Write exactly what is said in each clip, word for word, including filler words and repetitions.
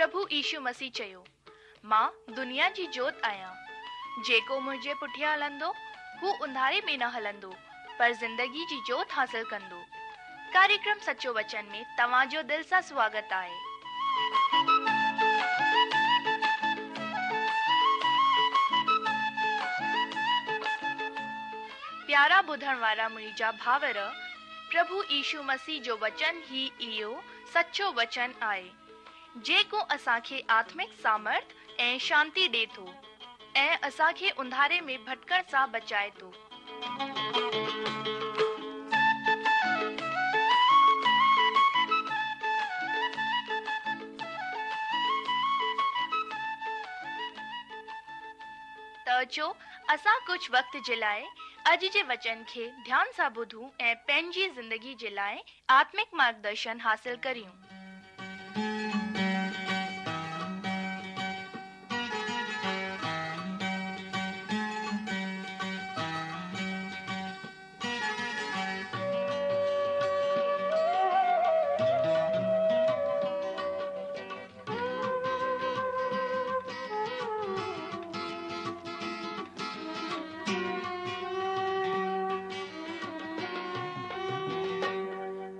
پرڀو يشو مسيح چيو، مان دنيا جي جوت آهيان. جيڪو منهنجي پٺيان هلندو، هو انڌاري ۾ نه هلندو، پر زندگي جي جوت حاصل ڪندو. ڪاريڪرم سچو وچن ۾ توهان جو دل سان سواگت آهي. پيارا ٻڌڻ وارا منهنجا ڀائر، پرڀو يشو مسيح جو وچن ئي اهو سچو وچن آهي، جيڪو اسان کي آتمڪ سامرٿ ۽ شانتي ڏي ٿو ۽ اسان کي انڌاري ۾ ڀٽڪڻ سان بچائي ٿو. ته اچو اسان ڪجهه وقت جي لاء اڄ جي وچن کي ڌيان سان ٻڌون ۽ پنهنجي زندگي جي لاء آتمڪ مارگدرشن حاصل ڪريون.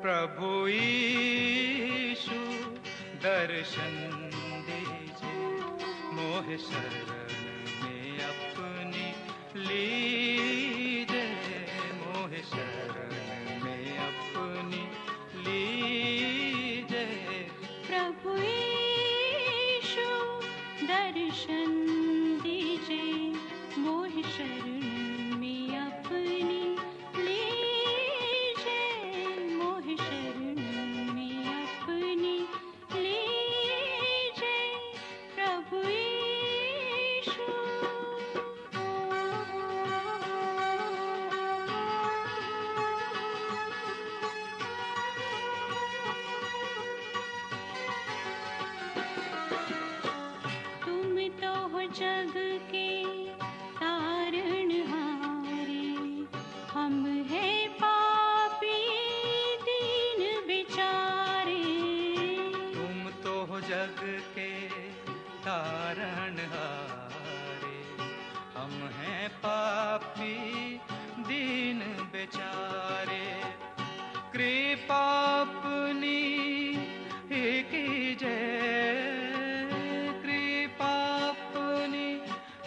प्रभु यीशु दर्शन दीजे, मोह शरण में अपनी लीजे, मोह शरण में अपनी लीजे। प्रभु यीशु दर्शन दीजे, मोह शरण में अपनी लीजे, मोह शरण में अपनी लीजे। प्रभु यीशु। तुम तो हो जग के तारणहारे, हम हैं पापी दीन बेचारे। तुम तो हो जग के तारणहारे, हम हैं पापी दीन बेचारे। कृपा अपनी ही कीजे, कृपा अपनी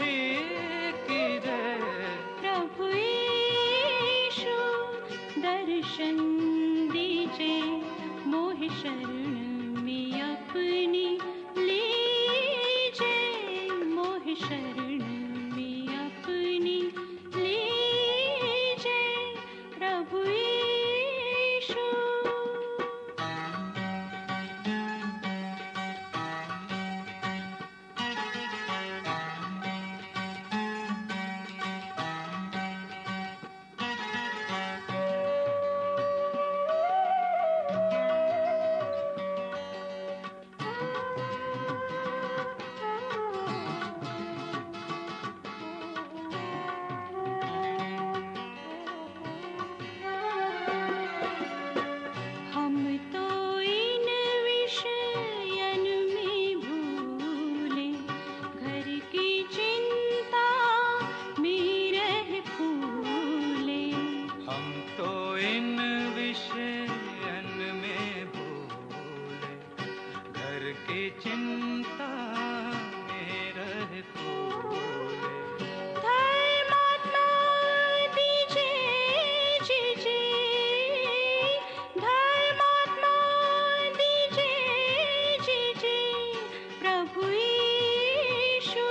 ही कीजे। प्रभु यीशु दर्शन दीजे, मोह शरण में अपनी लीजे, मोह शरण में अपनी लीजे। प्रभु यीशु। हम तो इन विषयन में भूले, घर की चिंता में रह फूले। हम तो इन विषयन में भूले, घर की चिंता में रह फूले। धर्मात्मा दीजे जीजे, धर्मात्मा दीजे जीजे। प्रभु यीशु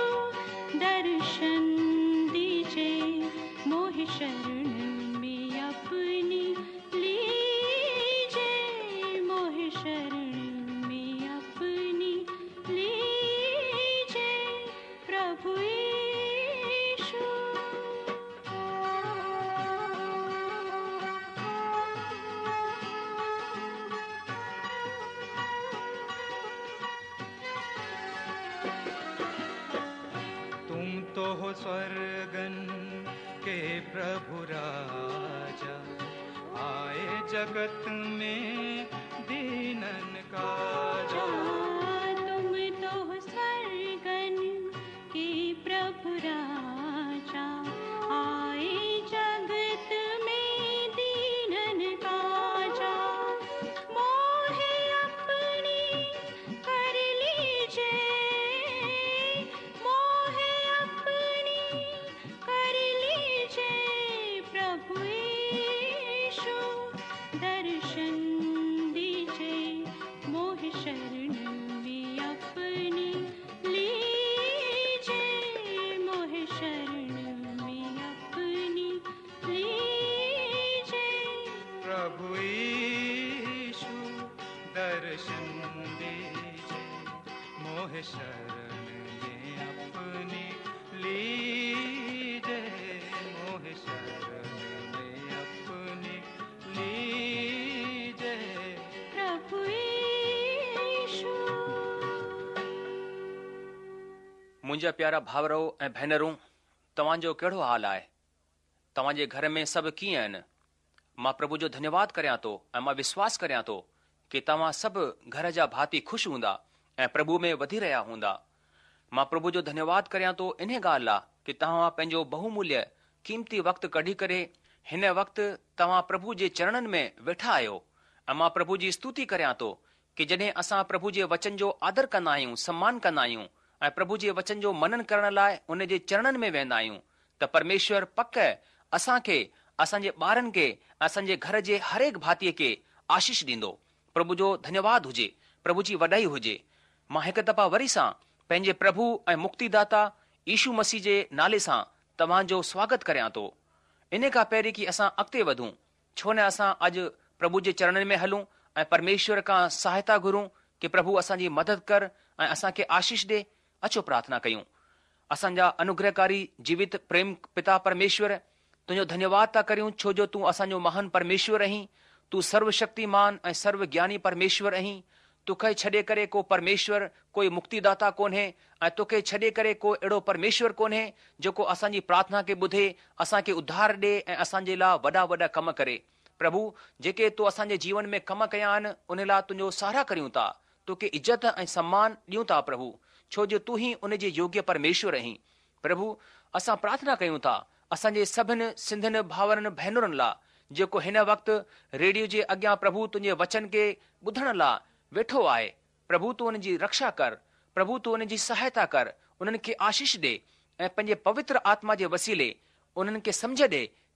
दर्शन दीजे, मोह शरण में अपनी लीजे, मोह शरण में अपनी लीजे। प्रभु यीशु। तुम तो हो स्वर्गन के प्रभु राजा, आए जगत में दीनन काजा। तुम तो दर्शन दीजे, मोहे शरण में अपनी लीजे, मोहे शरण में अपनी लीजे। प्रभु यीशु। मुंहिंजा प्यारा भाउरो ऐं भेनरूं, तव्हांजो कहिड़ो हाल आहे? तव्हांजे घर में सभु कीअं आहिनि? मां प्रभु जो धन्यवाद करियां थो ऐं मां विश्वास करियां थो की तव्हां सभु घर जा भाती ख़ुशि हूंदा ऐं प्रभु में वधी रहिया हूंदा। मां प्रभु जो धन्यवाद करियां थो इन ॻाल्हि लाइ की तव्हां पंहिंजो बहुमूल्य क़ीमती वक़्तु कढी करे हिन वक़्तु तव्हां प्रभु जे चरणनि में वेठा आहियो। ऐं मां प्रभु जी स्तुति करियां थो की जॾहिं असां प्रभु जे वचन जो आदर कंदा आहियूं, सम्मान कंदा आहियूं ऐं प्रभु जे वचन जो मनन करण लाइ उन जे चरणनि में वेंदा आहियूं त परमेश्वर पक असांखे, असांजे ॿारनि खे, असांजे घर जे हर हिकु भातीअ खे आशीष ॾींदो। प्रभु जो धन्यवाद हुजे, प्रभु जी वॾाई हुजे। मां हिकु दफ़ा वरी सां पंहिंजे प्रभु ऐं मुक्तिदाता यीशु मसीह जे नाले सां तव्हांजो स्वागत करियां थो। इन खां पहिरीं की असां अॻिते वधूं, छो न असां अॼु प्रभु जे चरणनि में हलूं ऐं परमेश्वर खां सहायता घुरूं की प्रभु असांजी मदद कर ऐं असांखे आशीष ॾे। अचो प्रार्थना कयूं। असांजा अनुग्रहकारी जीवित प्रेम पिता परमेश्वर, तुंहिंजो धन्यवाद था करियूं छो जो तूं असांजो महान परमेश्वर आहीं। तूं सर्वशक्तिमान ऐं सर्वज्ञानी परमेश्वर आहीं। तोखे छॾे करे को परमेश्वर, कोई मुक्तिदाता कोन्हे ऐं तोखे छॾे करे को अहिड़ो परमेश्वर कोन्हे जेको असांजी प्रार्थना खे ॿुधे, असांखे उद्धार ॾे ऐं असांजे लाइ वॾा वॾा कम करे। प्रभु, जेके तो असांजे जीवन में कम कया आहिनि उन लाइ तुंहिंजो सराह करियूं था, तोखे इज़त ऐं सम्मान ॾियूं था प्रभु, छो जो तूं ई उन जे योग्य परमेश्वर आहीं। प्रभु, असां प्रार्थना कयूं था असांजे सभिनि सिंधियुनि भाउरनि भेनरुनि लाइ जेको हिन वक़्तु रेडियो जे अॻियां प्रभु तुंहिंजे वचन खे ॿुधण लाइ वेठो आहे। प्रभु, तूं उन्हनि जी रक्षा कर, प्रभु तूं उन्हनि जी सहायता कर, उन्हनि खे आशीष ॾे ऐं पंहिंजे पवित्र आत्मा जे वसीले उन्हनि खे सम्झ ॾे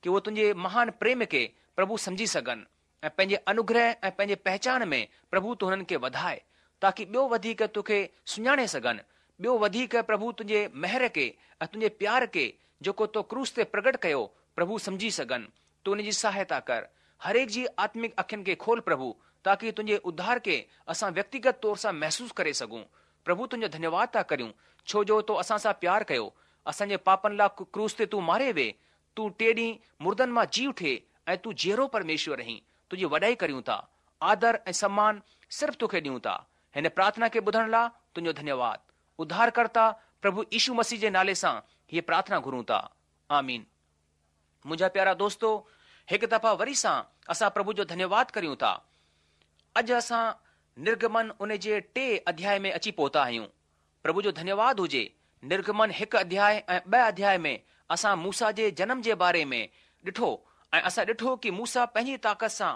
की उहे तुंहिंजे महान प्रेम खे प्रभु सम्झी सघनि ऐं पंहिंजे अनुग्रह ऐं पंहिंजे पहिचान में प्रभु तूं हुननि खे वधाए, ताकी ॿियो वधीक तोखे सुञाणे सघनि, ॿियो वधीक प्रभु तुंहिंजे महिर खे ऐं तुंहिंजे प्यार खे जेको तो क्रूस ते प्रगट कयो प्रभु सम्झी सघनि। तूं उन जी सहायता कर, हर एक जी आत्मिक अखियुनि खे खोल प्रभु, ताकी तुंहिंजे उद्धार खे असां व्यक्तिगत तौर सां महसूसु करे सघूं। प्रभु, तुंहिंजो धन्यवाद था करियूं छो जो तो असां सां प्यार कयो, असांजे पापनि लाइ क्रूस ते तूं मारे वे, तूं टे ॾींहुं मुर्दनि मां जी उठे ऐं तूं जीअरो परमेश्वर आहीं। तुंहिंजी वॾाई करियूं था, आदर ऐं सम्मान सिर्फ़ु तोखे ॾियूं था। हिन प्रार्थना खे ॿुधण लाइ तुंहिंजो धन्यवाद। उद्धारकर्ता प्रभु यीशु मसीह जे नाले सां हीअ प्रार्थना घुरूं था, आमीन। मुंहिंजा प्यारा दोस्तो, हिकु दफ़ा वरी सां असां प्रभु जो धन्यवाद करियूं था। अॼु असां निर्गमन उन जे टे अध्याय में अची पहुता आहियूं। प्रभु जो धन्यवाद हुजे। निर्गमन हिकु अध्याय ऐं ॿ अध्याय में असां मूसा जे जनम जे बारे में ॾिठो ऐं असां ॾिठो की मूसा पंहिंजी ताक़त सां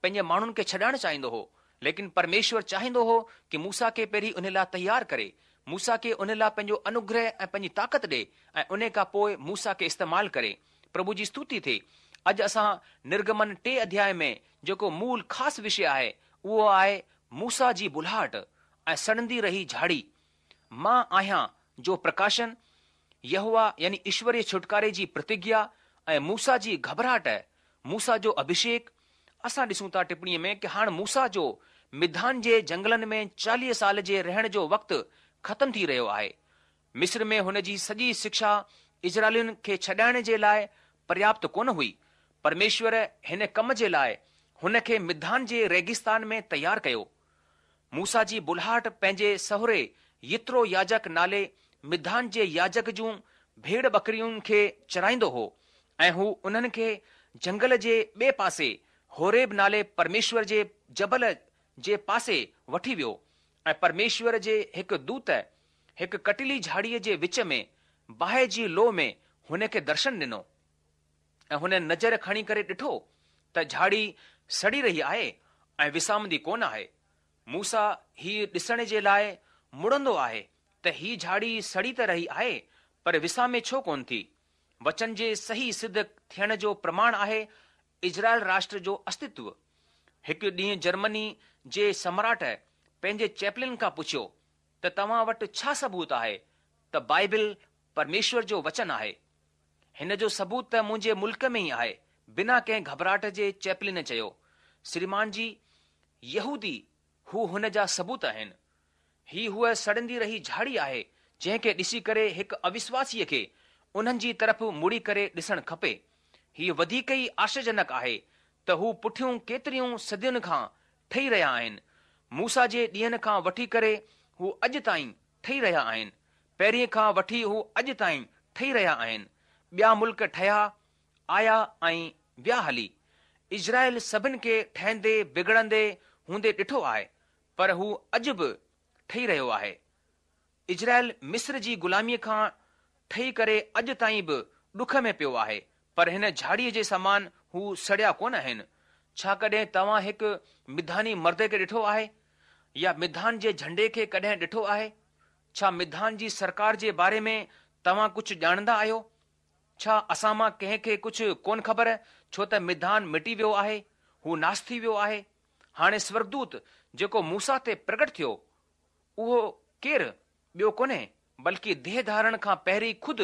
पंहिंजे माण्हुनि खे छॾाइण चाहींदो हो, लेकिन परमेश्वर चाहींदो हो की मूसा खे पहिरीं उन लाइ तयारु करे, मूसा खे उन लाइ पंहिंजो अनुग्रह ऐं पंहिंजी ताक़त ॾे ऐं उन खां पोइ मूसा खे इस्तेमालु करे। प्रभु जी स्तुति थिए। अॼु असां निर्गमन टे अध्याय में जेको मूल ख़ासि विषय आहे उहो आहे मूसा जी बुलाहट ऐं सड़ंदी रही झाड़ी। मां आहियां जो प्रकाशन, यहोवा यानी ईश्वरीय छुटकारे जी प्रतिज्ञा ऐं मूसा जी घबराहट, मूसा जो अभिषेक। असां ॾिसूं था टिप्पणीअ में की हाणे मूसा जो मिधान जे जंगलनि में चालीह साल जे रहण जो वक़्तु ख़तमु थी रहियो आहे। मिस्र में हुन जी सॼी शिक्षा इज़राइलियुनि खे छॾाइण जे लाइ पर्याप्त कोन हुई। परमेश्वर हिन कम जे लाइ हुन खे मिधान जे रेगिस्तान में तयारु कयो। मूसा जी बुलाहट पंहिंजे सहुरे यित्रो याजक नाले मिधान जे याजक जूं भेड़ बकरियुनि खे चराईंदो हो ऐं हू उन्हनि खे जंगल जे ॿिए पासे होरेब नाले परमेश्वर जे जबल जे पासे वठी वियो ऐं परमेश्वर जे हिकु दूत हिकु कटिली झाड़ीअ जे विच में बाहि जी लो में हुन खे दर्शन ॾिनो ऐं हुन नज़र खणी करे ॾिठो त झाड़ी सड़ी रही आहे ऐं विसामंदी कोन आहे। मूसा हीअ ॾिसण जे लाइ मुड़ंदो आहे त हीअ झाड़ी सड़ी त रही आहे पर विसामे छो कोन थी। वचन जे सही सिद्ध थियण जो प्रमाण आहे इज़राइल राष्ट्र जो अस्तित्व। हिकु ॾींहुं जर्मनी जे सम्राट पंहिंजे चैपलिन खां पुछियो त तव्हां वटि छा सबूत आहे त बाइबिल परमेश्वर जो वचन आहे? हिन जो सबूत त मुंहिंजे मुल्क में ई आहे, बिना कंहिं घबराहट जे चैपलिन चयो। श्रीमान जी, यहूदी هو هن جا ثبوت آهن. هي هوء سڙندي رهي جهاڙي آهي جنهن کي ڏسي ڪري هڪ اوشواسيء کي انهن جي طرف مڙي ڪري ڏسڻ کپي. هي وڌيڪ ئي آشچريجنڪ آهي ته هو پٺيون ڪيتريون صدين کان ٺهي رهيا آهن. موسيٰ جي ڏينهن کان وٺي ڪري هو اڄ تائين ٺهي رهيا آهن. پهرين کان وٺي هو اڄ تائين ٺهي رهيا آهن. ٻيا ملڪ ٺهيا، آيا ۽ ويا هلي. اسرائيل سڀن کي ٺهندي بگڙندي هوندي ڏٺو آهي، پر هو اڄ به ٺهي رهيو آهي. اسرائيل مصر جي غلاميء کان ٺهي ڪري اڄ تائين به ڏک ۾ پيو آهي، پر هن جهاڙيء جي سمان هو سڙيا ڪونه آهن. ڇا ڪڏهن توهان هڪ مڌاني مرد کي ڏٺو آهي؟ يا مڌان جي جهنڊي کي ڪڏهن ڏٺو آهي؟ ڇا مڌان جي سرڪار جي باري ۾ توهان ڪجهه ڄاڻندا آهيو؟ ڇا اسان مان ڪنهن کي ڪجهه ڪونه خبر ڇو ته مڌان مٽي ويو آهي، هو ناس ٿي ويو آهي. هاڻي سورڳدوت جيڪو موسيٰ تي پرگٽ ٿيو، اهو ڪير ٻيو ڪونهي، بلڪه ديهه ڌارڻ کان پهرين خود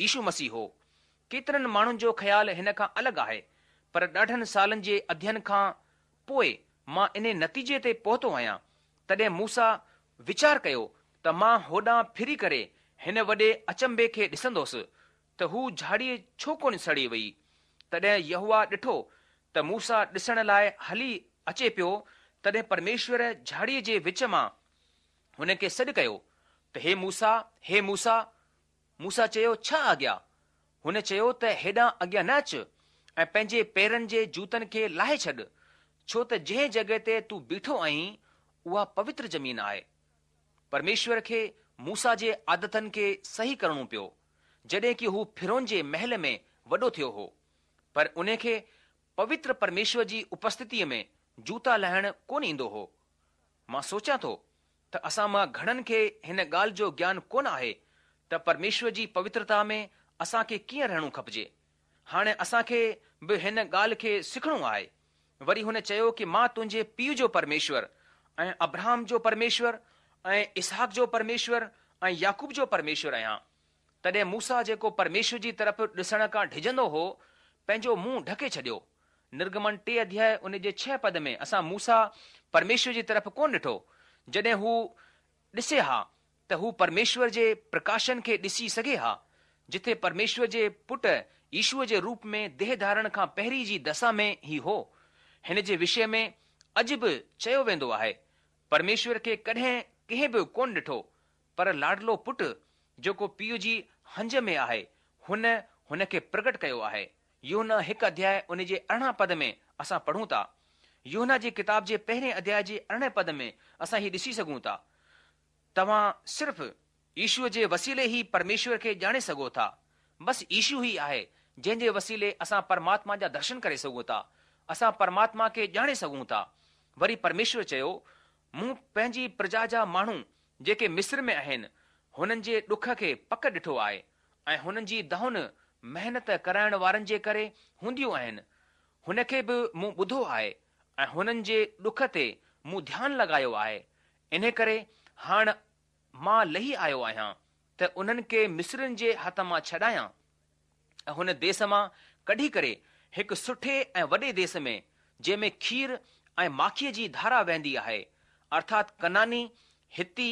يشو مسيح هو. ڪيترن ماڻهن جو خيال هن کان الڳ آهي، پر ڏاڍن سالن جي اڌين کان پوء مان انهي نتيجي تي پهتو آهيان. تڏهن موسيٰ ويچار ڪيو ته مان هوڏانهن ڦري ڪري هن وڏي اچنڀي کي ڏسندوس ته هو جهاڙي ڇو ڪونه سڙي وئي. تڏهن يهوه ڏٺو ته موسيٰ ڏسڻ لاء هلي اچي پيو، تڏهن پرميشور جهاڙيء جي وچ مان هن کي سڏ ڪيو ته هي موسيٰ، هي موسيٰ! موسيٰ چيو، ڇا آگيا؟ هن چيو ته هيڏانهن اڳيان نه اچ ۽ پنهنجي پيرن جي جوتن کي لاهي ڇڏ، ڇو ته جنهن جڳهه تي تون بيٺو آهين، اها پوتر زمين آهي. پرميشور کي موسيٰ جي عادتن کي صحيح ڪرڻو پيو، جڏهن ڪي هو فرعون جي محل ۾ وڏو ٿيو هو. پر انهي کي پوتر پرميشور جي اپسٿتيء ۾ جوتا لاهڻ ڪونه ايندو هو. مان سوچيان ٿو ته اسان مان گهڻن کي هن ڳالهه جو گيان ڪونه آهي ته پرميشور جي پوترتا ۾ اسان کي ڪيئن رهڻو کپجي. هاڻي اسان کي به هن ڳالهه کي سکڻو آهي. وري هن چيو ڪي مان تنهنجي پيء جو پرميشور ۽ ابراهم جو پرميشور ۽ اسحاق جو پرميشور ۽ يعقوب جو پرميشور آهيان. تڏهن موسيٰ جيڪو پرميشور جي طرف ڏسڻ کان ڊڄندو هو، پنهنجو منهن ڍڪي ڇڏيو. نرگمن ٽي اڌياء ان جي ڇهه پد ۾ اسان موسيٰ پرميشور جي طرف ڪونه ڏٺو. جڏهن هو ڏسي ها ته هو پرميشور جي پرڪاشن کي ڏسي سگهي ها، جٿي پرميشور جي پٽ يشوء جي روپ ۾ ديهه ڌارڻ کان پهرين جي دسا ۾ هي هو. هن جي وشي ۾ اڄ به چيو ويندو آهي، پرميشور کي ڪڏهن ڪنهن به ڪونه ڏٺو، پر لاڏلو پٽ جيڪو پيء جي هنج ۾ آهي، هن هن کي پرگٽ ڪيو آهي. يوحنا هڪ اڌياء ان جي ارڙهن پد ۾ اسان پڙهون ٿا. يوحنا جي ڪتاب جي پهرين اڌياء جي ارڙهين پد ۾ اسان هي ڏسي سگهون ٿا. توهان صرف يشوء جي وسيلي ئي پرميشور کي ڄاڻي سگهو ٿا. بس يشو ئي آهي جنهن جي وسيلي اسان پرماتما جا درشن ڪري سگهون ٿا. اسان پرماتما کي ڄاڻي سگهون ٿا. وري پرميشور چيو، مون پنهنجي پرجا جا ماڻهو جيڪي مصر ۾ آهن، هنن جي ڏک کي پڪ ڏٺو آهي ۽ هنن جي دانهن محنت ڪرائڻ وارن جي ڪري هونديون آهن. هن کي به مون ٻڌو آهي ۽ هنن جي ڏک تي مون ڌيان لڳايو آهي. انهي ڪري هاڻ مان لهي آيو آهيان ته انهن کي مصرين جي هٿ مان ڇڏايان ۽ هن ديس مان ڪڍي ڪري هڪ سٺي ۽ وڏي ديس ۾ جنهن ۾ کير ۽ ماکيء جي ڌارا وهندي آهي، ارٿات ڪنعاني، حتي،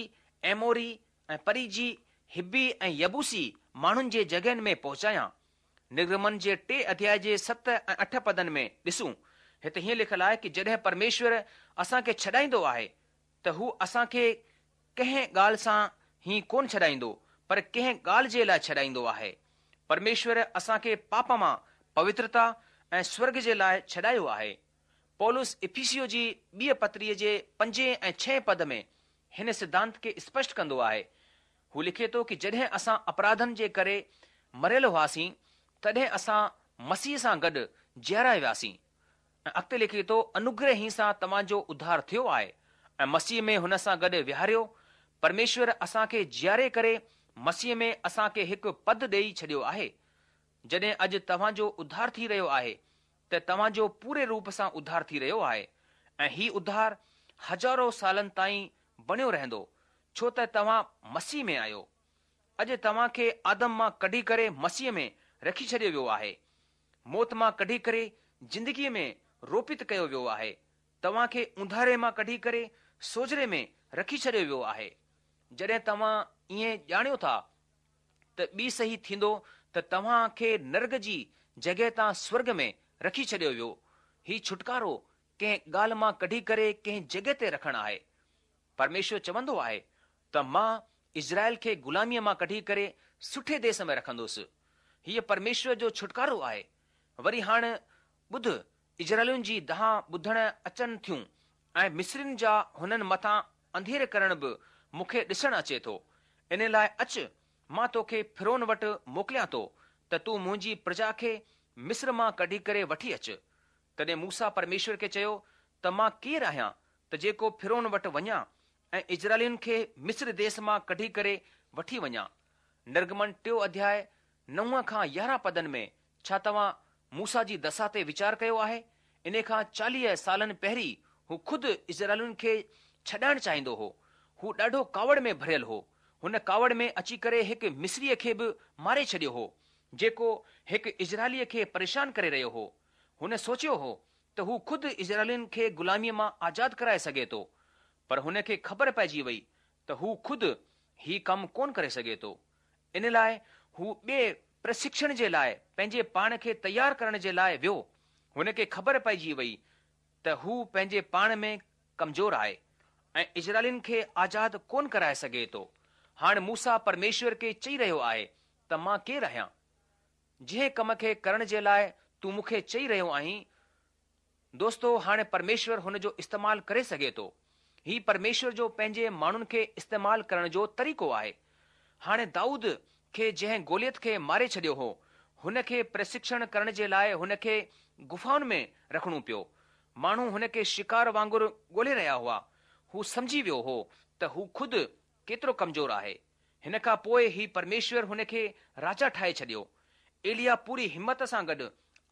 ايموري ۽ پريزي، حبي ۽ يبوسي ماڻهن جي جڳهين ۾ پهچايان. نرگمن جي ٽي اڌياء جي ست ۽ اٺ پدن ۾ ڏسون، هت هيئن لکيل آهي ڪي جڏهن پرميشور اسان کي ڇڏائيندو آهي ته هو اسان کي ڪنهن ڳالهه سان ئي ڪونه ڇڏائيندو پر ڪنهن ڳالهه جي لاء ڇڏائيندو آهي. پرميشور اسان کي پاپ مان پوترتا ۽ سورڳ جي لاء ڇڏايو آهي. پولس افيسيو جي ٻيء پتريء جي پنجين ۽ ڇهين پد ۾ هن سڌانت کي اسپشٽ ڪندو آهي. هو لکي ٿو ڪي جڏهن اسان اپراڌن جي ڪري مريل هئاسين، تڏهن اسان مسيح سان گڏ جياريا وياسين. ۽ اڳتي لکي ٿو، انوگره ئي سان توهان جو اڌار ٿيو آهي ۽ مسيح ۾ هن سان گڏ ويهاريو. پرميشور اسان کي جياري ڪري مسيح ۾ اسان کي هڪ پد ڏيئي ڇڏيو آهي. جڏهن اڄ توهان جو اڌار ٿي رهيو آهي ته توهان جو پوري روپ سان اڌار ٿي رهيو آهي ۽ هي اڌار هزارو سالن تائين بڻيو رهندو، ڇو ته توهان مسيح ۾ آهيو. اڄ توهان کي آدم مان ڪڍي ڪري مسيح ۾ رکي ڇڏيو ويو آهي. موت مان ڪڍي ڪري زندگيء ۾ روپت ڪيو ويو آهي. توهان کي اونڌاري مان ڪڍي ڪري سوجهري ۾ رکي ڇڏيو ويو آهي. جڏهن توهان ائين ڄاڻيو ٿا ته ٻي صحيح ٿيندو ته توهان کي نرڳ جي جڳهه تان سورڳ ۾ رکي ڇڏيو ويو. هي ڇوٽڪارو ڪنهن ڳالهه مان ڪڍي ڪري ڪنهن جڳهه تي رکڻ آهي. پرميشور چوندو آهي ته مان اسرائيل کي غلاميءَ مان ڪڍي ڪري سٺي ديس ۾ رکندس. هيءَ پرميشور جو ڇوٽڪارو آهي. وري هاڻ ٻڌ، اسرائيلين جي دانهن ٻڌڻ اچن ٿيون ۽ مصرين جا هنن مٿان انڌير ڪرڻ به مون کي ڏسڻ اچي ٿو. ان لاءِ اچ، مان توکي فرعون وٽ موڪليان ٿو ته تون منهنجي پرجا کي مصر مان ڪڍي ڪري وٺي اچ. تڏهن موسيٰ پرميشور کي چيو ته مان ڪير آهيان ته جيڪو فرعون وٽ وڃان ۽ اسرائيلين کي مصر ديس مان ڪڍي ڪري وٺي وڃان. نرگمن ٽيون اڌياءِ نو کان يارهن پدن ۾ ڇا توهان موسيٰ جي دشا تي ويچار ڪيو آهي؟ ان کان چاليهه سالن پهرين هو خود اسرائيلين کي ڇڏائڻ چاهيندو هو. هو ڏاڍو ڪاوڙ ۾ ڀريل هو. هن ڪاوڙ ۾ اچي ڪري هڪ مصريءَ کي به ماري ڇڏيو هو، جيڪو هڪ اسرائيليءَ کي پريشان ڪري رهيو هو. هن سوچيو هو ته هو خود اسرائيلين کي غلاميءَ مان آزاد ڪرائي سگهي ٿو، پر هن کي خبر پئجي وئي ته هو خود هي ڪم ڪونه ڪري سگهي ٿو. ان لاءِ هو ٻئي پرشڪشڻ جي لاءِ پنهنجي پاڻ کي تيار ڪرڻ جي لاءِ ويو. هن کي خبر پئجي وئي ته هو پنهنجي پاڻ ۾ ڪمزور آهي ۽ اسرائيلين کي آزاد ڪونه ڪرائي سگهي ٿو. هاڻي موسيٰ پرميشور کي چئي رهيو آهي ته مان ڪير آهيان؟ جنهن ڪم کي ڪرڻ جي لاءِ تون مون کي چئي رهيو آهين. دوستو، هاڻي پرميشور هن جو استعمال ڪري سگهي ٿو. هي پرميشور جو پنهنجي ماڻهن کي استعمال ڪرڻ جو طريقو آهي. هاڻي دائود کي جنهن گوليت کي ماري ڇڏيو هو، هن کي پرشڪشڻ ڪرڻ جي لاءِ هن کي گفائن ۾ رکڻو پيو. ماڻهو هن کي شڪار وانگر ڳولهي رهيا هئا. هو سمجهي ويو هو ته هو خود ڪيترو ڪمزور آهي. هن کان پوءِ هي پرميشور هن کي راجا ٺاهي ڇڏيو. ايليا پوري همت سان گڏ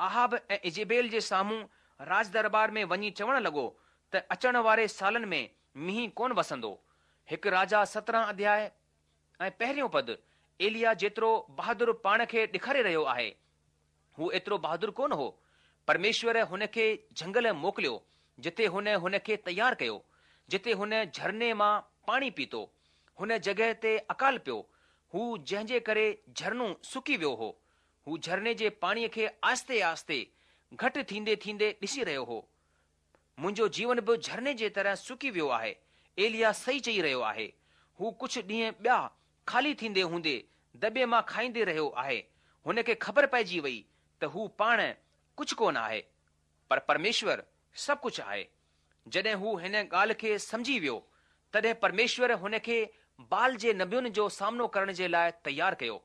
اهاب ۽ ايزيبيل جي سامهون راج دربار ۾ وڃي چوڻ لڳو ته اچڻ واري سالن ۾ مينهن ڪونه وسندو. هڪ راجا سترهن اڌياءِ ۽ پهريون پد. ايليا جيترو بهادر پاڻ کي ڏيکاري رهيو آهي، هو ايترو بهادر ڪونه هو. پرميشور هن کي جهنگل موڪليو، جتي هن هن کي تيار ڪيو، جتي هن جهرني مان پاڻي پيتو. هن جڳهه تي اڪال پيو هو، جنهن جي ڪري جهرنو سڪي ويو هو. هو جهرني جي پاڻيءَ کي آهستي آهستي گهٽ ٿيندي ٿيندي ڏسي رهيو هو. منهنجو جيون به جهرني جي طرح سڪي ويو آهي. ايليا صحيح چئي رهيو آهي. هو ڪجهه ڏينهن ٻيا خالي ٿيندي هوندي دٻي مان کائيندي رهيو آهي. هن کي خبر پئجي وئي ته هو پاڻ ڪجهه ڪونه آهي، پر پرميشور سڀ ڪجهه آهي. جڏهن هو هن ڳالهه کي سمجهي ويو، تڏهن پرميشور هن کي بال جي نبين جو سامنو ڪرڻ جي لاءِ تيار ڪيو.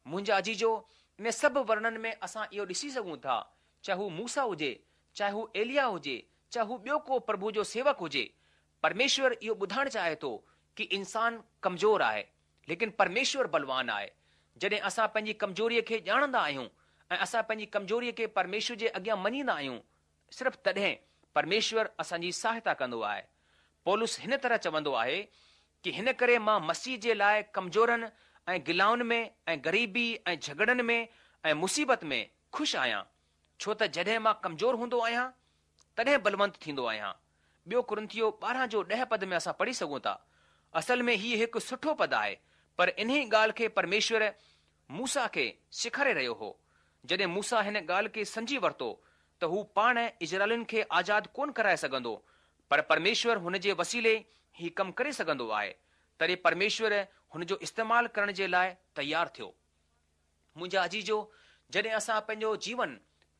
منهنجا عزيزو، ان سڀ ورڻن ۾ اسان اهو ڏسي سگهون ٿا، چاهي هو موسيٰ هجي، چاهي هو ايليا هجي، چاهي هو ٻيو ڪو پرڀو جو سيوڪ هجي، پرميشور اهو ٻڌائڻ چاهي ٿو ڪه انسان ڪمزور آهي، ليڪن پرميشور بلوان آهي. جڏهن اسان پنهنجي ڪمزوريءَ کي ڄاڻندا آهيون ۽ اسان پنهنجي ڪمزوريءَ کي پرميشور جي اڳيان مڃيندا آهيون، صرف تڏهن پرميشور اسان جي سهائتا ڪندو آهي. پولس هن طرح چوندو آهي ڪه هن ڪري مان مسيح جي لاءِ ڪمزورن ۽ گلائن ۾ ۽ غريبي ۽ جهڳڙن ۾ ۽ مصيبت ۾ خوش آهيان، ڇو ته جڏهن مان ڪمزور هوندو آهيان تڏهن بلونت ٿيندو آهيان. ٻيو ڪرنٿيو ٻارهن جو ڏهه پد ۾ اسان پڙهي سگهون ٿا. اصل ۾ هيءَ هڪ سٺو پد آهي، پر انهي ڳالهه کي پرميشور موسيٰ کي سيکاري رهيو هو. جڏهن موسيٰ هن ڳالهه کي سمجهي ورتو ته هو پاڻ اسرائيلين کي آزاد ڪونه ڪرائي سگهندو، پر پرميشور هن جي وسيلي هي ڪم ڪري سگهندو آهي، تڏهن پرميشور هن جو استعمال ڪرڻ جي لاءِ تيار ٿيو. منهنجا عزيزو، جڏهن اسان پنهنجو جيون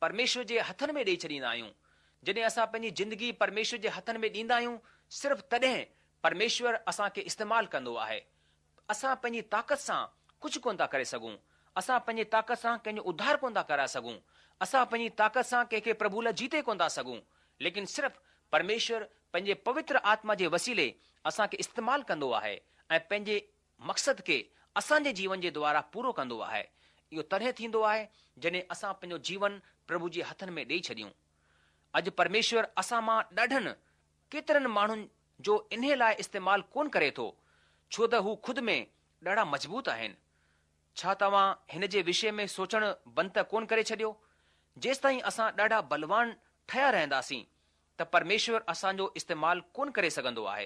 پرميشور جي هٿن ۾ ڏيئي ڇڏيندا آهيون، جڏهن اسان پنهنجي زندگي پرميشور جي هٿن ۾ ڏيندا آهيون، صرف تڏهن پرميشور اسان کي استعمال ڪندو آهي. اسان پنهنجي طاقت سان ڪجهه ڪونه ٿا ڪري سگهون، اسان پنهنجي طاقت سان ڪنهن جو اڌار ڪونه ٿا ڪرائي سگهون، اسان پنهنجي طاقت سان ڪنهن کي پرڀو لاءِ جيتي ڪونه ٿا سگهون، ليڪن صرف پرميشور پنهنجي پوتر آتما جي وسيلي اسان کي استعمال ڪندو آهي ۽ پنهنجي مقصد کي اسان جي جيون جي دوارا پورو ڪندو آهي. اهو تڏهن ٿيندو آهي جڏهن اسان پنهنجو جيون پرڀو جي هٿن ۾ ڏيئي ڇڏيون. اڄ پرميشور اسان مان ڏاڍن ڪيترن ماڻهن جو انهي لاءِ استعمال ڪونه ڪري ٿو، ڇو ته هو خود ۾ ڏاڍا مضبوط آهن. ڇا توهان هن جي وشي ۾ سوچڻ بند ته ڪونه ڪري ڇڏيو؟ جيستائين اسان ڏاڍا بلوان ٺهيا رهنداسين ته ته پرميشور اسان جو استعمال ڪونه ڪري سگهندو آهي.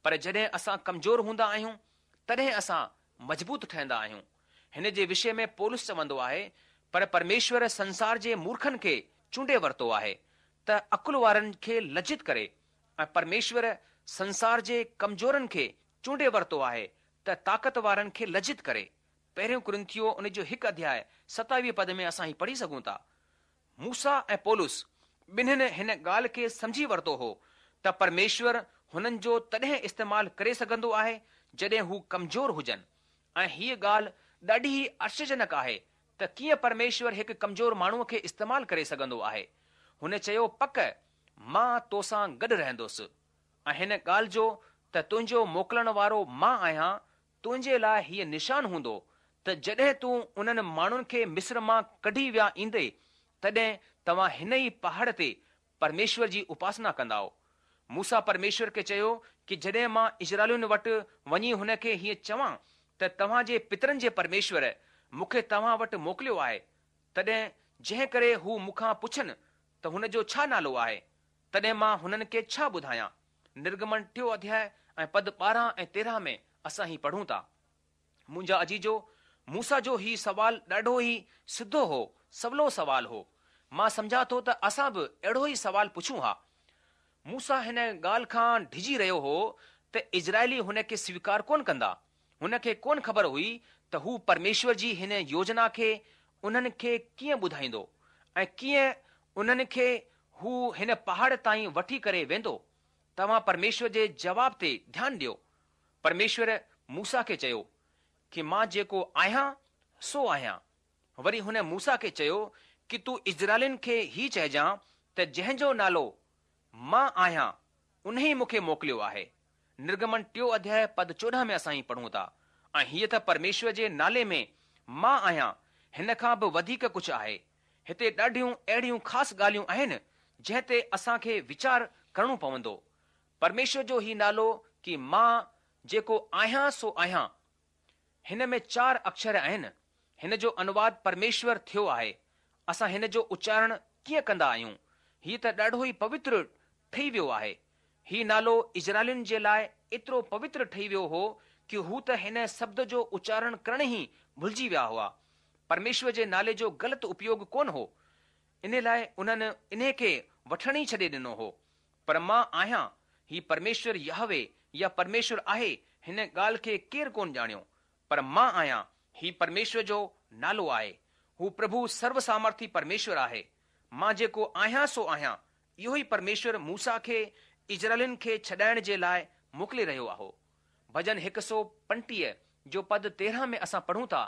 پر جڏهن اسان ڪمزور هوندا آهيون، تڏهن اسان مضبوط ٺهندا آهيون. هن جي وشي ۾ پولس چوندو آهي، پر پرميشور سنسار جي مورکن کي چونڊي ورتو آهي ته عقل وارن کي لجت ڪري ۽ پرميشور سنسار جي ڪمزورن کي چونڊي ورتو آهي ته طاقت وارن کي لجت ڪري. پهريون ڪرنٿيو ان جو هڪ اڌياء ستاويهه پد ۾ اسان هي پڙهي سگهون ٿا. موسيٰ ۽ پولس ٻنهين هن ڳالهه کي سمجهي ورتو هو ته پرميشور هنن جو تڏهن استعمال ڪري سگهندو آهي جڏهن هو ڪمزور هجن ۽ هيء ڳالهه ڏاڍي ئي آشچريجنڪ آهي ته ڪيئن پرميشور هڪ ڪمزور ماڻهوء کي استعمال ڪري سگهندو آهي. هن چيو پڪ مان توسان گڏ رهندس ۽ هن ڳالهه جو ته تنهنجو موڪلڻ وارو مان آهيان تنهنجي لاء هيء نشان هوندو ته جڏهن تون انهن ماڻهن کي مصر مان ڪڍي ويا ايندي تڏهن توهان هن ئي پهاڙ تي پرميشور جي اپاسنا ڪندائو. موسيٰ پرميشور کي چيو ڪي جڏهن مان اسرائيلين وٽ وڃي هن کي هيئن چوان ته توهان جي پترن جي پرميشور مون کي توهان وٽ موڪليو آهي، تڏهن جنهن ڪري هو مون کان پڇن ته هن جو ڇا نالو آهي، تڏهن مان هنن کي ڇا ٻڌايان؟ نرگمن ٽيون اڌياء ۽ پد ٻارهن ۽ تيرهن ۾ اسان هي پڙهون ٿا. منهنجا عزيزو، موسيٰ جو هي سوال ڏاڍو ئي سڌو هو، سولو سوال هو. مان سمجهان ٿو ته اسان به اهڙو ئي سوال پڇون ها. موسيٰ هن ڳالهه کان ڊڄي رهيو هو ته اسرائيلي هن کي سويڪار ڪونه ڪندا. هن کي ڪونه خبر هئي ته هو پرميشور جي هن يوجنا کي انهن کي ڪيئن ٻڌائيندو ۽ ڪيئن انهن کي هو هن پهاڙ تائين وٺي ڪري ويندو. توهان پرميشور جي جواب تي ڌيان ڏيو. پرميشور موسيٰ کي چيو ڪي مان جيڪو آهيان سو آهيان. وري هن موسيٰ کي چيو ڪي تون اسرائيلين کي هي چئجان ته جنهن جو نالو مان آهيان انهي مون کي موڪليو آهي. نرگمن ٽيون اڌياء پد چوڏهن ۾ اسان هي پڙهون ٿا ۽ هيء ته پرميشور جي نالي ۾ مان آهيان هن کان به وڌيڪ ڪجهه آهي. هتي ڏاڍيون اهڙيون خاص ڳالهيون آهن جنهن تي اسان کي ويچار ڪرڻو پوندو. پرميشور جو هي نالو ڪي مان جيڪو آهيان سو آهيان. هن ۾ چار اڪشر آهن. هن جو انواد پرميشور ٿيو آهي. اسان هن جو اچارڻ ڪيئن ڪندا آهيون؟ هيء ته ڏاڍو ئي پوتر ٺهي ويو آهي. هي نالو اسرائيلين جي لاء ايترو پوتر ٺهي ويو هو ڪي هو ته هن شبد جو اچارڻ ڪرڻ ئي ڀلجي ويا هئا. پرميشور جي نالي جو غلط اپيوگ ڪونه هو. ان لاء انهن انهي کي وٺڻ ئي ڇڏي ڏنو هو. پر مان آهيان، هي پرميشور يهوه يا پرميشور آهي هن ڳالهه کي ڪير ڪونه ڄاڻيو. پر مان آهيان، هي پرميشور جو نالو آهي. هو پرڀو سرو سامرٿي پرميشور آهي. مان جيڪو آهيان سو آهيان. اهو ئي پرميشور موسيٰ کي اسرائيلين کي ڇڏائڻ جي لاء موڪلي رهيو هو. ڀڄن هڪ سؤ پنٽيهه جو پد تيرهن ۾ اسان پڙهون ٿا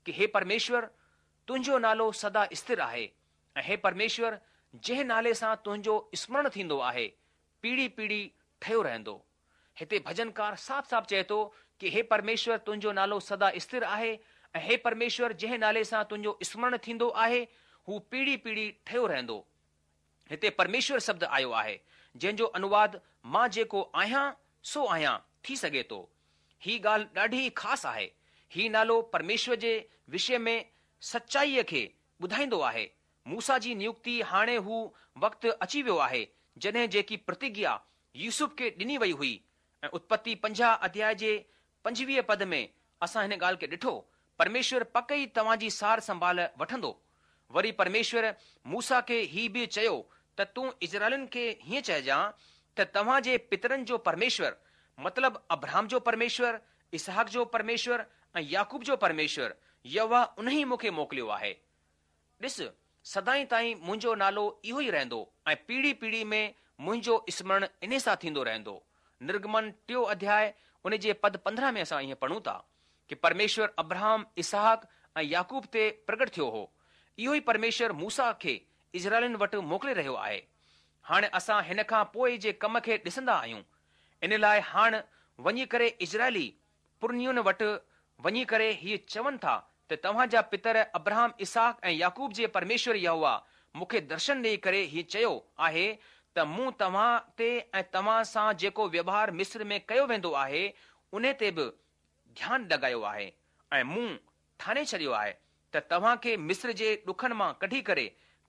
ڪي هي پرميشور تنهنجو نالو سدا اسٿر آهي ۽ هي پرميشور جنهن نالي سان تنهنجو اسمرڻ ٿيندو آهي پيڙهي پيڙهي ٺهيو رهندو. هتي ڀڄنڪار صاف صاف چئي ٿو ڪي هي پرميشور تنهنجو نالو سدا اسٿر آهي ۽ هي پرميشور جنهن نالي سان تنهنجو اسمرڻ ٿيندو آهي هو پيڙهي پيڙهي ٺهيو رهندو. هتي پرميشور شبد آيو آهي جنهن جو انواد مان جيڪو آهيان سو آهيان ٿي سگهي ٿو. هي ڳالهه ڏاڍي خاص آهي. هي نالو پرميشور جي وشي ۾ سچائيء کي ٻڌائيندو آهي. موسيٰ جي نيوڪتي هاڻي هو وقت اچي ويو آهي جڏهن جيڪي پرتگيا يوسف کي ڏني وئي هئي ۽ اتپتي پنجاهه اڌياء جي پنجويهه پد ۾ اسان هن ڳالهه کي ڏٺو، پرميشور پڪ ئي توهان جي سار سنڀال وٺندو. وري پرميشور موسيٰ کي هي به چيو ته تون اسرائيلين کي هيئن چئجان ته توهان جي پترن جو پرميشور، مطلب ابرهام جو پرميشور، اسحاق جو پرميشور ۽ يعقوب جو پرميشور، يهوه انهي مون کي موڪليو آهي. ڏس، سدائين تائين منهنجو نالو اهو ئي رهندو ۽ پيڙهي پيڙهي ۾ منهنجو اسمرڻ انهي سان ٿيندو رهندو. نرگمن ٽيون اڌياء ان جي پد پندرهن ۾ اسان ائين پڙهون ٿا ڪي پرميشور ابرهام، اسحاق ۽ يعقوب تي پرگٽ ٿيو هو. اهو ئي پرميشور موسيٰ کي اسرائيلين وٽ موڪلي رهيو آهي. هاڻي اسان هن کان پوء جي ڪم کي ڏسندا آهيون. ان لاء هاڻ وڃي ڪري اسرائيلي پرنين وٽ وڃي ڪري هيء چون ٿا ته توهان جا پتر ابرهام، اسحاق ۽ يعقوب جي پرميشور يهوه مون کي درشن ڏيئي ڪري هيء چيو آهي ته مون توهان تي ۽ توهان سان جيڪو ويوهار مصر ۾ ڪيو ويندو آهي انهي تي به ڌيان لڳايو آهي ۽ مون ٺاني ڇڏيو آهي ته توهان کي مصر جي ڏکن مان ڪڍي ڪري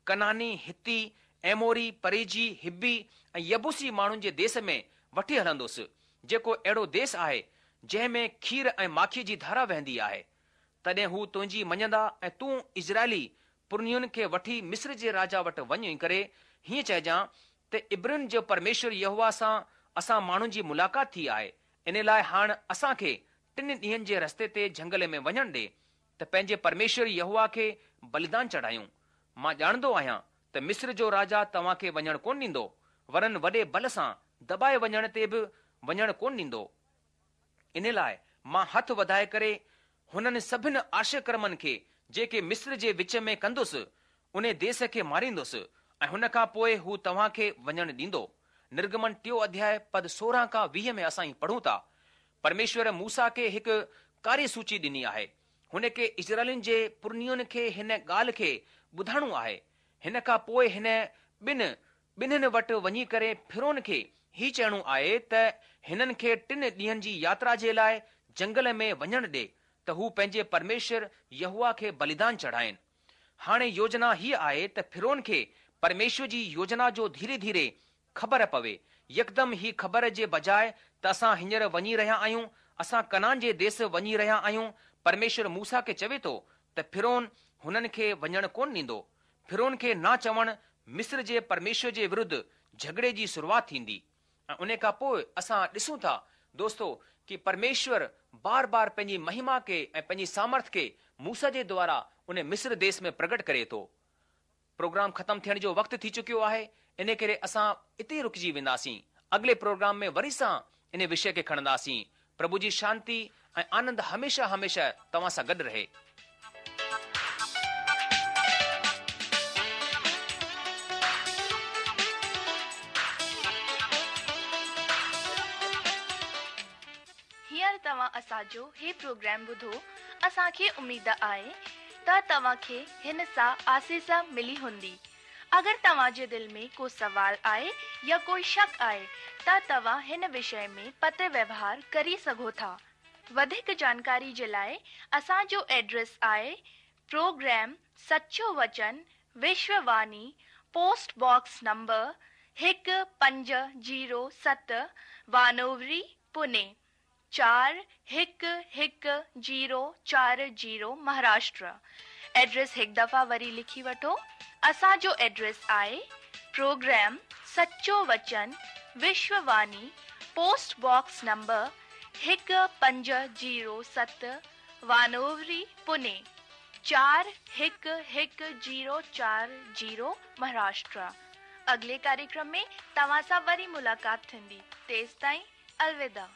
ڪنعاني، حتي، ايموري، پريزي، حبي ۽ يبوسي ماڻهن جي ديس ۾ وٺي هلندس، جيڪو اهڙو ديس آهي، جنهن ۾ کير ۽ ماکيء جي ڌارا وهندي آهي. تڏهن هو تنهنجي مڃندا ۽ تون اسرائيلي پرنين کي وٺي مصر جي راجا وٽ وڃي ڪري هيئن چئجان ته عبرين جو پرميشور يهوه سان اسان ماڻهن جي ملاقات ٿي آهي، ان لاء هاڻ اسان کي ٽن ڏينهن جي رستي تي جهنگل ۾ وڃڻ ڏي ته پنهنجي پرميشور يهوه کي بليدان چڙهايون. مان ڄاڻندو آهيان ته مصر جو راجا توهان کي وڃڻ ڪونه ڏيندو، ورن وڏي بل سان دٻائي وڃڻ تي به وڃڻ ڪونه ڏيندو. ان لاء مان هٿ وڌائي ڪري هنن سڀن آشچريه ڪرمن کي جيڪي مصر جي وچ ۾ ڪندس، ان ديس کي ماريندس ۽ هن کان پوء هو توهان کي وڃڻ ڏيندو. نرگمن ٽيون اڌياء پد سورهن کان ويهه ۾ اسان هي پڙهون ٿا. پرميشور موسيٰ کي هڪ ڪاريه سوچي ڏني آهي. هن کي اسرائيلين جي پرنين کي هن ڳالهه کي ٻڌائڻو آهي. هن کان پوء هن ٻن ٻنهن وٽ وڃي ڪري فرعون کي هي چئڻو آهي ته هنن کي ٽن ڏينهن جي ياترا جي لاء جنگل ۾ وڃڻ ڏي ته هو پنهنجي پرميشور يهوه کي بليدان چڙهائين. هاڻي يوجنا هيء آهي ته فرعون کي پرميشور جي يوجنا جو ڌيري ڌيري خبر پوي. يڪدم هي خبر جي بجاء ته اسان هينئر وڃي رهيا آهيون، اسان ڪنعان جي ديس وڃي رهيا آهيون. پرميشور موسيٰ کي چوي ٿو ته فرعون هنن کي وڃڻ ڪونه ڏيندو. فرعون کي نه چوڻ مصر جي پرميشور جي ورڌ جهڳڙي جي شروعات ٿيندي. ۽ ان کان پوء اسان ڏسون ٿا دوستو ڪي پرميشور بار بار پنهنجي مهما کي ۽ پنهنجي سامرٿ کي موسيٰ جي دوارا ان مصر ديس ۾ پرگٽ ڪري ٿو. پروگرام ختم ٿيڻ جو وقت ٿي چڪيو آهي، ان ڪري اسان اتي رڪجي وينداسين. اڳلي پروگرام ۾ وري سان ان وشي کي کڻنداسين. پرڀو جي شانتي ۽ آنند هميشه هميشه توهان سان گڏ رهي. هينئر توهان اسان جو هي پروگرام ٻڌو، اسان کي اميد آهي ته توهان کي هن سان آسيس ملي هوندي. اگر توهان جي دل ۾ ڪو سوال آهي يا ڪوئي شڪ آهي ته توهان هن وشي ۾ پتر ويوهار ڪري سگهو ٿا. وڌيڪ جانڪاري جي لاءِ اسان جو ايڊريس آهي پروگرام سچو وچن وشوواني، پوسٽ باڪس نمبر هڪ پنج زيرو ست، وانووري، پوني چار هڪ هڪ زيرو چار زيرو، مهاراشٽر. ايڊريس هڪ دفعا وري لکي وٺو. اسان جو ايڊريس آهي پروگرام سچو وچن وشوواني، پوسٽ باڪس نمبر هڪ پنج زيرو ست، وانووري، پوني چار هڪ هڪ زيرو چار زيرو، مهاراشٽر. اڳلي ڪاريڪرم ۾ توهان سان وري ملاقات ٿيندي. تيستائين الوداع.